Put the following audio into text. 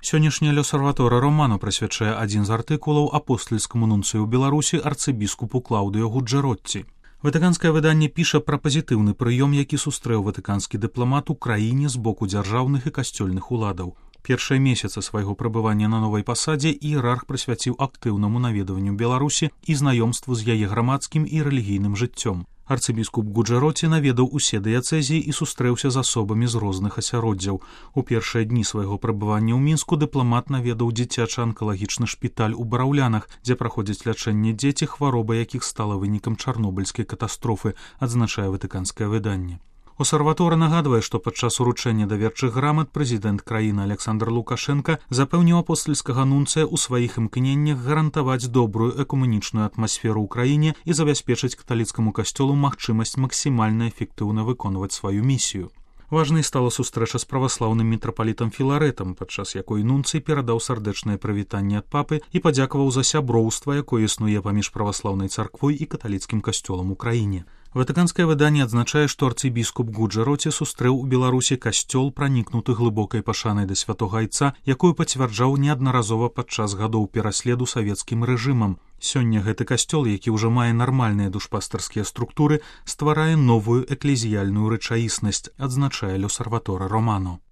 Сённяшняя L'Osservatore Romano прысвячае адзін з артыкулаў апостальскаму нунцыю ў Беларусі арцыбіскупу Клаўдыо Гуджэротці. Ватыканскае выданне піша пра пазітыўны прыём, які сустрэў ватыканскі дыпламат у краіне з боку дзяржаўных і касцёльных уладаў. Першыя месяцы свайго прабывання на новай пасадзе іерарх прысвяціў актыўнаму наведванню Беларусі і знаёмству з яе грамадскім і рэлігійным жыццём. Арцыбіскуп Гуджэротці наведаў усе дыяцэзіі і сустрэўся з асобамі з розных асяроддзяў. У першыя дні свайго прабывання ў Мінску дыпламат наведаў дзіцяча-анкалагічны шпіталь у Бараўлянах, дзе праходзяць лячэнне дзеці, хвароба якіх стала вынікам чарнобыльскай катастрофы, адзначае ватыканскае выданне. L'Osservatore нагадвае, што падчас уручэння даверчых грамат прэзідэнт краіны Александр Лукашенка запэўніў апостальскага нунцыя ў сваіх імкненнях гарантаваць добрую экумэнічную атмасферу ў краіне і забяспечыць каталіцкаму касцёлу магчымасць максімальна эфектыўна выконваць сваю місію. Важнай стала сустрэча з праваслаўным мітрапалітам Філарэтам, падчас якой нунцый перадаў сардэчнае прывітанне ад папы і падзякаваў за сяброўства, якое існуе паміж праваслаўнай царквой і каталіцкім касцёлам у краіне. Ватыканскае выданне адзначае, што арцыбіскуп Гуджэротці сустрэў у Беларусі касцёл, пранікнуты глыбокай пашанай да святога айца, якую пацвярджаў неаднаразова падчас гадоў пераследу савецкім рэжымам. Сёння гэты касцёл, які ўжо мае нармальныя душпастарскія структуры, стварае новую эклезіяльную рэчаіснасць, адзначае L'Osservatore Romano.